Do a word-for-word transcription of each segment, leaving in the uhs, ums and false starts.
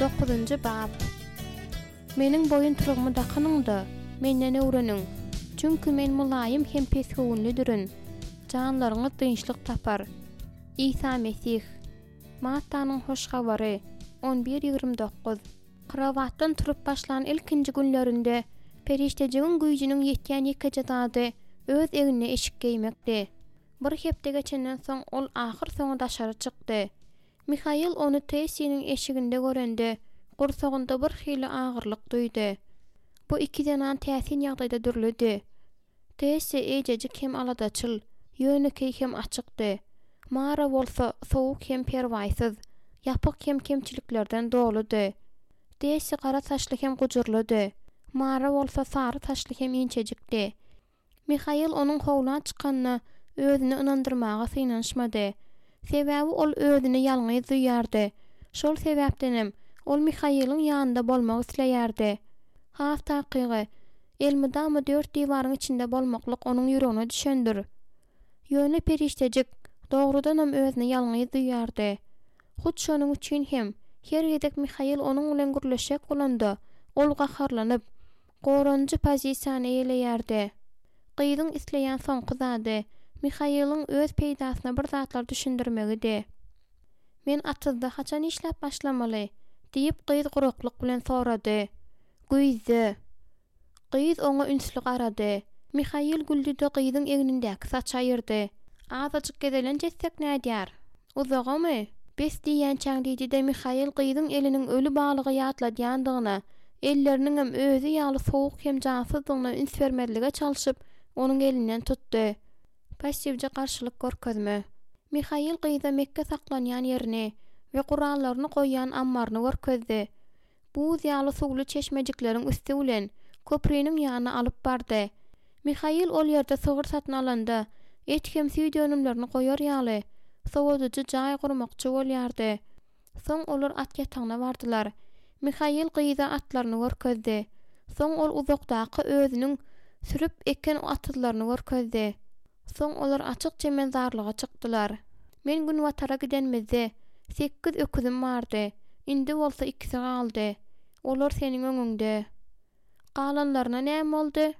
Dokuzynjy bap. Meniň boýuntyrygymy dakynyň-da, Menden öwreniň. Çünki Men mylaýym hem pesgöwünlidirin. Janlaryňyz dynçlyk tapar. Isa Mesih. Mattanyň Hoş Habary, on bir ýigrimi dokuz. Krowatdan turup başlan ilkinji günlerinde perişdejigiň güýjüniň ýetýän ýekeje zady öz egnine eşik geýmekdi. Bir hepde geçenden soň ol ahyrsoňy daşary çykdy. Mihail ony Tessiniň eşiginde görende, gursagynda bir hili agyrlyk duýdy. Bu iki zenan täsin ýagdaýda dürlüdi. Tessi eýjejik hem aladaçyl, ýönekeý hem açykdy. Mara bolsa sowuk hem perwaýsyz, ýapyk hem kemçiliklerden doludy. Tessi gara saçly hem gujurlydy. Mara bolsa sary saçly hem inçejikdi. Mihail onuň howla çykanyna özüni ynandyrmaga synanyşmady. Sebäbi ol özüni ýalňyz duýýardy. Şol sebäpdenem ol Mihailiň ýanynda bolmak isleýärdi. Has takygy, elmydama dört diwaryň içinde bolmaklyk onuň ýüregine düşendir. Ýöne perişdejik dogrudanam özüni ýalňyz duýýardy. Hut şonuň üçin hem her gezek Mihail onuň bilen gürleşjek bolanda, ol gaharlanyp, goranyjy pozisiýany eýeleýärdi. Gyzyň isleýän soňky zady Mihailiň öz peýdasyna bir zatlar düşündirmegidi. Men atyzda haçan işläp başlamaly? Diýip gyz guraklyk bilen sorady. Güýzde. Gyz oňa ünsli garady. Mihail güldü-de gyzyň egnindäki saçy aýyrdy. Azajyk gezelenç etsek nädýär? Uzagamy? Bes diýýänçäň diýdi-de Mihail gyzyň eliniň öli balygy ýatladýandygyna, elleriniňem özi ýaly sowuk hem jansyzdygyna üns bermezlige çalşyp, onuň elinden tutdy. Passiwje garşylyk görkezme. Mihail gyza mekge saklanýan ýerini we gurallaryny goýýan ammaryny görkezdi. Buz ýaly suwly çeşmejikleriň üsti bilen köpriniň ýanyna alyp bardy. Mihail ol ýerde sygyr satyn alanda, et hem süýt önümlerini goýar ýaly, sowadyjy jaý gurmakçy bolýardy. Soň olar at ýatagyna bardylar. Mihail gyza atlaryny görkezdi. Soň ol uzakdaky özüniň sürüp eken atyzlaryny görkezdi. Soň olar açyk çemenzarlyga çykdylar. Men günbatara gidenimizde sekiz öküzim bardy. Indi bolsa ikisi galdy. Olar seniň öňüňde. Galanlaryna näme boldy?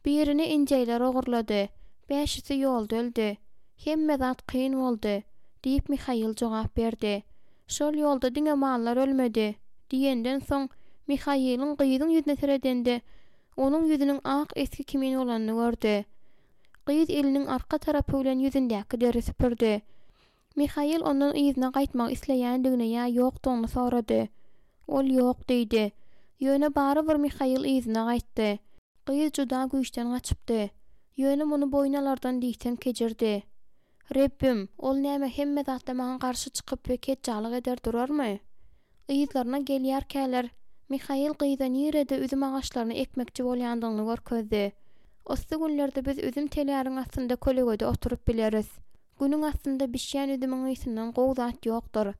Birini injeýler ogurlady. Bäşisi ýolda öldi. Hemme zat kyn boldy, diýip Mihail jogap berdi. Şol ýolda diňe mallar ölmedi, diýenden soň Mihailiň gyzyň ýüzüne seredende, onuň ýüzüniň ak esgi kimin bolanyny gördi. Gyz eliniň arka tarapy bilen ýüzündäki deri süpürdi. Mihail ondan yzyna gaýtmak isleýändigini ýa ýokdugyny sorady. Ol ýok diýdi. Ýöne barybir Mihail yzyna gaýtdy. Gyz juda güýçden gaçypdy. Ýöne muny boýun alardan diýseň kejirdi. Rebbim, ol näme hemme zatda maňa garşy çykyp we ketjalyk eder durarmy? Yzlaryna gelýärkäler, Mihail gyza nirede üzüm agaçlaryny ekmekçi bolýandygyny görkezdi. Yssy günlerde biz üzüm teläriň astynda kölegede oturyp bileris. Günüň astynda bişýän üzümiň ysyndan gowy zat ýokdur.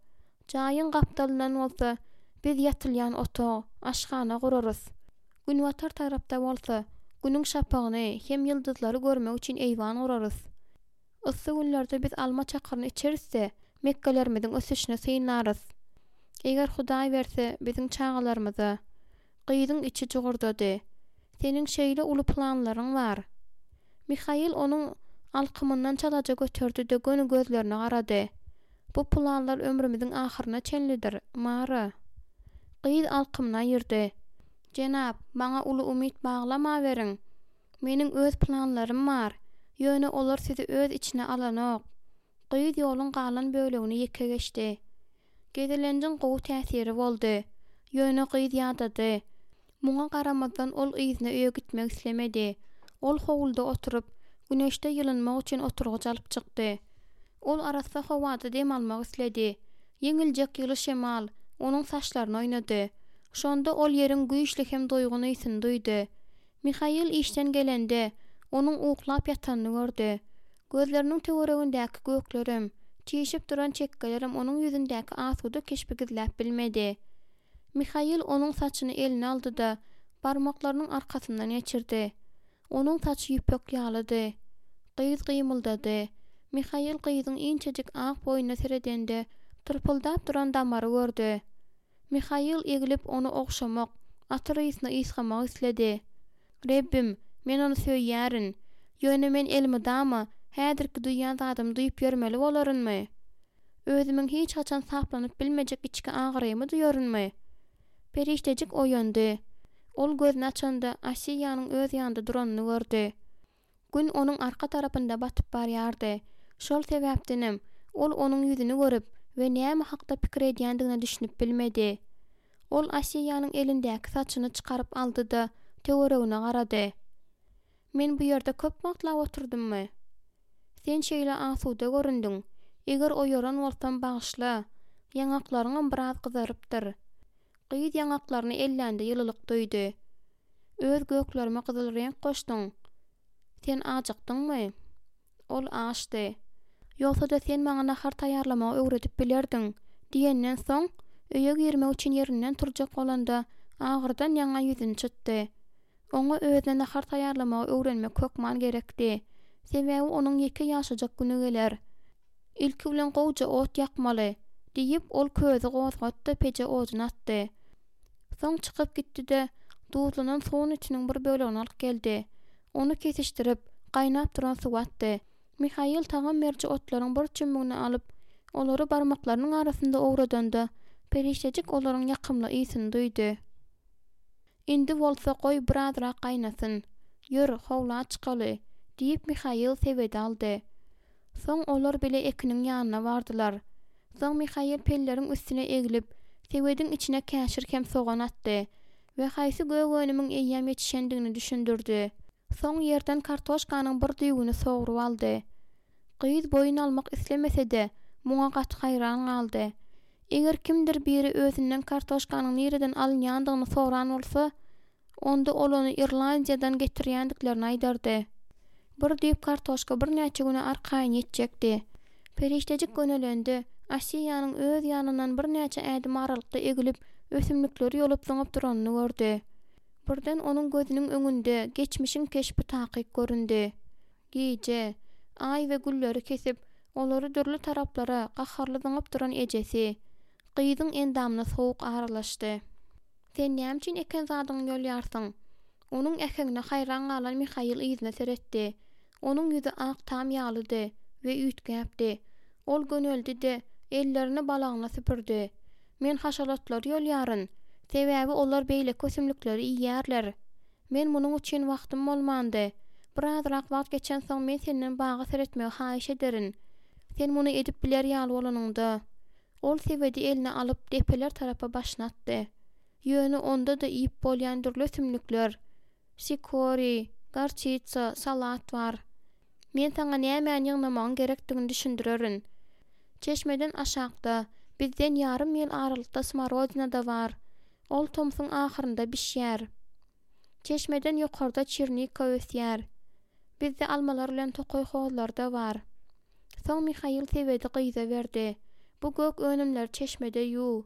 Jaýyň gapdalyndan bolsa biz ýatylýan otag, aşhana gurarys. Günbatar tarapda bolsa günüň şapagyny hem ýyldyzlary görmek üçin eýwan gurarys. Yssy günlerde biz alma çakyryny içeris-de, mekgelerimiziň ösüşini synlarys. Eger Hudaý berse, biziň çagalarymyza. Gyzyň içi jugurdady. Seniň şeýle uly planlaryň bar. Mihail onuň alkymyndan çalaja göterdi-de göni gözlerine garady. Bu planlar ömrümiziň ahyryna çenlidir, Mara. Gyz alkymyny aýyrdy. Jenap, maňa uly umyt baglamaweriň. Meniň öz planlarym bar. Ýöne olar sizi öz içine alanok. Gyz ýoluň galan bölegini ýeke geçdi. Gezelenjiň gowy täsiri boldy. Ýöne gyz ýadady. Muňa garamazdan ol yzyna öýe gitmek islemedi. Ol howluda oturyp, güneşde ýylynmak üçin oturgyç alyp çykdy. Ol arassa howada dem almak isledi. Ýeňiljek ýyly şemal onuň saçlaryny oýnady. Şonda ol ýeriň güýçli hem doýgun ysyny duýdy. Mihail işden gelende, onuň uklap ýatanyny gördi. Gözleriniň töweregindäki göklerem, çişip duran çekgelerem onuň ýüzündäki asuda keşbi gizläp bilmedi. Mihail onuň saçyny eline aldy-da, barmaklarynyň arkasyndan geçirdi. Onuň saçy ýüpek ýalydy. Gyz gymyldady. Mihail gyzyň inçejik ak boýnuna seredende, tyrpyldap duran damary gördi. Mihail eglip ony ogşamak, atyr ysyny ysgamak isledi. Rebbim, men ony söýýärin. Ýöne men elmydama häzirki duýýan zadymy duýup ýörmeli bolarynmy? Özümiň hiç haçan saplanyp bilmejek içki agyrymy duýarynmy? Perişdejik oýandy. Ol gözüni açanda Asiýanyň öz ýanynda duranyny gördi. Gün onuň arka tarapynda batyp barýardy. Şol sebäpdenem ol onuň ýüzüni görüp we näme hakda pikir edýändigine düşünip bilmedi. Ol Asiýanyň elindäki saçyny çykaryp aldy-da, töweregine garady. Men bu ýerde köp wagtlap oturdymmy? Sen şeýle asuda göründiň. Eger oýaran bolsam bagyşla. Ýaňaklaryňam biraz gyzarypdyr. Gyz ýaňaklaryny ellände ýylylyk duýdy. Öz göklerime gyzyl reňk goşduň. Sen ajykdyňmy? Ol açdy. Ýogsa-da sen maňa nahar taýýarlamagy öwredip bilerdiň diýenden soň, öýe girmek üçin ýerinden turjak bolanda, agyrdan ýaňa ýüzüni çytdy. Oňa özüne nahar taýýarlamagy öwrenmek hökman gerekdi. Sebäbi onuň ýeke ýaşajak güni geler. Ilki bilen gowja ot ýakmaly, diýip ol közi gozgatdy, peje odun atdy. Soň çykyp gitdi-de, duzlanan suwun etiniň bir bölegini alyp geldi. Ony kesişdirip, gaýnap duran suwa atdy. Mihail tagam beriji otlaryň bir çümmügini alyp, olary barmaklarynyň arasynda owradanda, perişdejik olaryň ýakymly ysyny duýdy. Indi bolsa goý birazrak gaýnasyn. Ýör, howla çykaly, diýip Mihail sebedi aldy. Soň olar bile ekiniň ýanyna bardylar. Soň Mihail pelleriň üstüne eglip, sebediň içine käşir hem sogan atdy we haýsy gök önümiň eýýäm ýetişendigini düşündirdi. Soň ýerden kartoşkanyň bir düwüni sogrup aldy. Gyz boýun almak islemese-de, muňa gaty haýran galdy. Eger kimdir biri özünden kartoşkanyň nireden alynýandygyny soran bolsa, onda ol ony Irlandiýadan getirýändiklerini aýdardy. Bir düýp kartoşka birnäçe güne arkaýyn ýetjekdi. Perişdejik gönelendi. Asiýanyň öz ýanyndan birnäçe ädim aralykda egilip, ösümlikleri ýolup zyňyp duranyny gördi. Birden onuň gözüniň öňünde geçmişiň keşbi takyk göründi. Gije, aý we gülleri kesip, olary dürli taraplara gaharly zyňyp duran ejesi. Gyzyň endamyna sowuk aralaşdy. Sen näme üçin eken zadyňy ýolýarsyň? Onuň äheňine haýran galan Mihail yzyna seretdi. Onuň ýüzi ak tam ýalydy we üýtgäpdi. Ol göneldi-de, ellerini balagyna süpürdi. Men haşalatlary ýolýaryn. Sebäbi olar beýleki ösümlikleri iýýärler. Men munuň üçin wagtym bolmandy. Birazrak wagt geçensoň men senden baga seretmegi haýyş ederin. Sen muny edip biler ýaly bolanyňda. Ol sebedi eline alyp depeler tarapa başyny atdy. Ýöne onda-da iýip bolýan dürli ösümlikler, sikori, gorçitsa, salat bar. Men saňa nämäni ýygnamagyň gerekdigini düşündirerin. Çeşmeden aşakda, bizden ýarym mil aralykda smorodina-da bar. Ol tomsuň ahyrynda bişýär. Çeşmeden ýokarda çernika ösýär. Bizde almalar bilen tokaý hozlary-da bar. Soň Mihail sebedi gyza berdi. Bu gök önümleri çeşmede ýuw.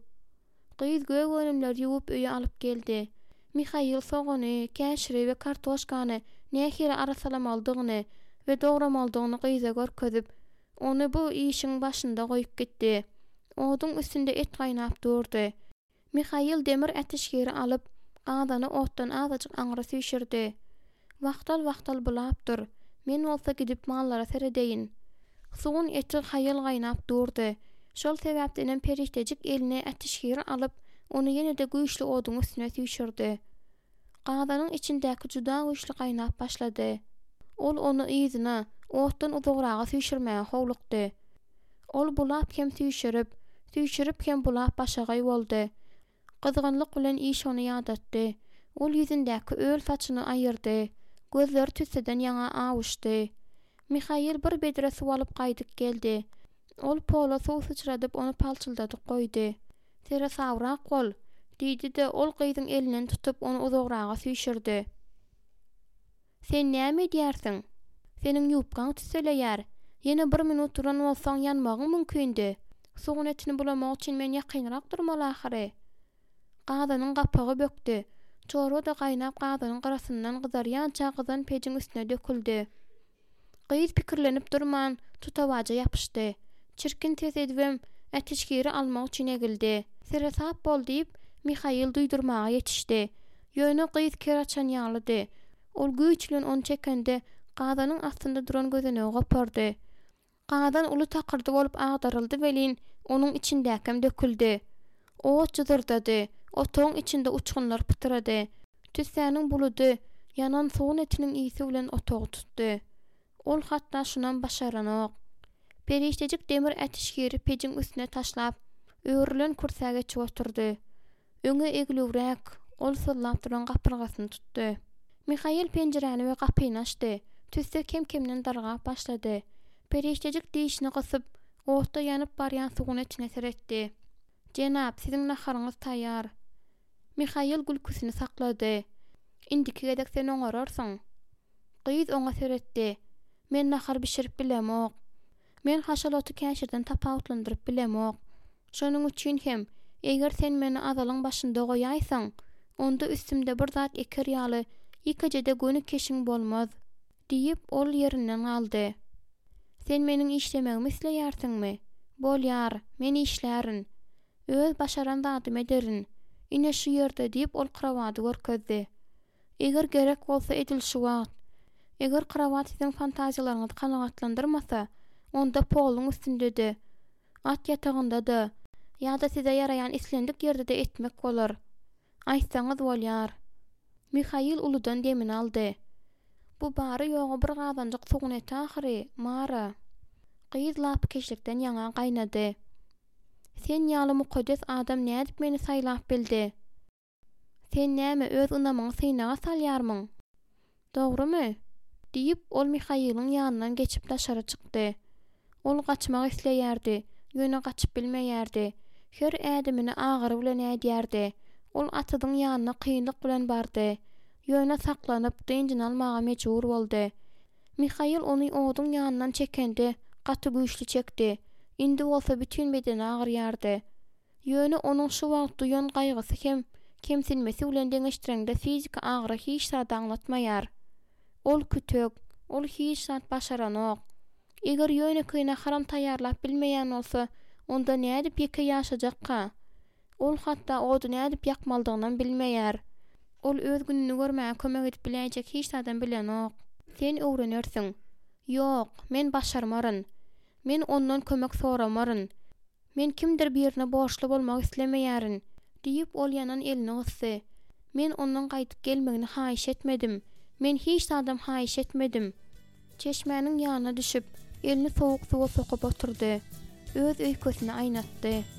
Gyz gök önümleri ýuwup öýe alyp geldi. Mihail sogany, käşiri we kartoşkany nähili arassalamalydygyny we dogramalydygyny gyza görkezip, ony bu işiň başynda goýup gitdi. Oduň üstünde et gaýnap durdy. Mihail demir äteşgiri alyp, gazany otdan azajyk aňry süýşürdi. Wagtal-wagtal bulap dur. Men bolsa gidip mallara seredeýin. Suwun eti haýal gaýnap durdy. Şol sebäpdenem perişdejik eline äteşgiri alyp, ony ýene-de güýçli oduň üstüne süýşürdi. Gazanyň içindäki juda güýçli gaýnap başlady. Ol ony yzyna, otdan uzagraga süýşürmäge howlukdy. Ol bulap hem süýşürip, süýşürip hem bulap başagaý boldy. Gyzgynlyk bilen iş ony ýadatdy. Ol ýüzündäki öl saçyny aýyrdy. Gözleri tüsseden ýaňa awuşdy. Mihail bir bedre suw alyp gaýdyp geldi. Ol pola suw syçradyp ony palçyldadyp goýdy. Seresabrak bol, diýdi-de ol gyzyň elinden tutup ony uzagraga süýşürdi. Sen näme edýärsiň? Seniň ýupkaň tüsseleýär. Ýene bir minut duran bolsaň ýanmagyň mümkindi. Suwun etini bulamak üçin men ýakynrak durmaly ahyry. Gazanyň gapagy bökdi. Çorba-da gaýnap gazanyň gyrasyndan gyzarýança gyzan pejiň üstüne döküldi. Gyz pikirlenip durman tutawaja ýapyşdy. Çirkin ses edibem äteşgiri almak üçin egildi. Seresap bol diýip, Mihail duýdurmaga ýetişdi. Ýöne gyz ker açan ýalydy. Ol güýç bilen ony çekende, gazanyň astynda duran gözenegi gopardy. Gazan uly takyrdy bolup agdaryldy welin, onuň içindäkem döküldi. Ot jyzyrdady, otagyň içinde uçgunlar pytyrady. Tüssäniň buludy ýanan sugun etiniň ysy bilen otagy tutdy. Ol hatda şunam başaranok. Perişdejik demir ätişgiri pejiň üstüne taşlap, örülen kürsä geçip oturdy. Öňe eglüwräk, ol syzlap duran gapyrgasyny tutdy. Mihail penjiräni we gapyny açdy. Tüsse kem-kemden dargap başlady. Perişdejik dişini gysyp, otda ýanyp barýan sugun etine seretdi. Jenap, siziň naharyňyz taýýar. Mihail gülküsini saklady. Indiki gezek sen oňararsyň. Gyz oňa seretdi. Men nahar bişirip bilemok. Men haşal oty käşirden tapawutlandyryp bilemok. Şonuň üçin hem, eger sen meni azalyň başynda goýaýsaň, onda üstümde bir zat eker ýaly ýekeje-de göni keşiň bolmaz, diýip, ol ýerinden galdy. Sen meniň işlemegimi isleýärsiňmi? Bolýar, men işlärin. Öz başaran zadymy ederin. Ine şu ýerde diýip, ol krowady görkezdi. Eger gerek bolsa edil şu wagt. Eger krowat siziň fantaziýalaryňyzy kanagatlandyrmasa, onda poluň üstünde-de, at ýatagynda-da, ýa-da size ýaraýan islendik ýerde-de etmek bolar. Aýtsaňyz bolýar. Mihail uludan demini aldy. Bu bary-ýogy bir gazanjyk sugun eti ahyry, Mara. Gyz lapykeçlikden ýaňa gaýnady. Sen ýaly mukaddes adam nädip meni saýlap bildi? Sen näme öz ynamyňy synaga salýarmyň? Dogrumy? Diýip, ol Mihailiň ýanyndan geçip daşary çykdy. Ol gaçmak isleýärdi, ýöne gaçyp bilmeýärdi. Her ädimini agyry bilen ädýärdi. Ol atyzyň ýanyna kynlyk bilen bardy. Ýöne saklanyp, dynjyny almaga mejbur boldy. Mihail ony oduň ýanyndan çekende, gaty güýçli çekdi. Indi bolsa bütin bedeni agyrýardy. Ýöne onuň şu wagt duýan gaýgysy hem kemsinmesi bilen deňeşdireňde fiziki agyry hiç zat aňlatmaýar. Ol kütek, ol hiç zat başaranok. Eger ýönekeý naharam taýýarlap bilmeýän bolsa, onda nädip ýeke ýaşajakka? Ol hatda ody nädip ýakmalydygynam bilmeýär. Ol öz gününi görmäge kömek edip biläýjek hiç zadam bilenok. Sen öwrenersiň. Ýok, men başarmaryn. Men ondan kömek soramaryn. Men kimdir birine borçly bolmak islemeýärin, diýip ol ýanan elini gysdy. Men ondan gaýdyp gelmegini haýyş etmedim. Men hiç zadam haýyş etmedim. Çeşmäniň ýanyna düşüp, elini sowuk suwa sokup oturdy. Öz öýkesini aýnatdy.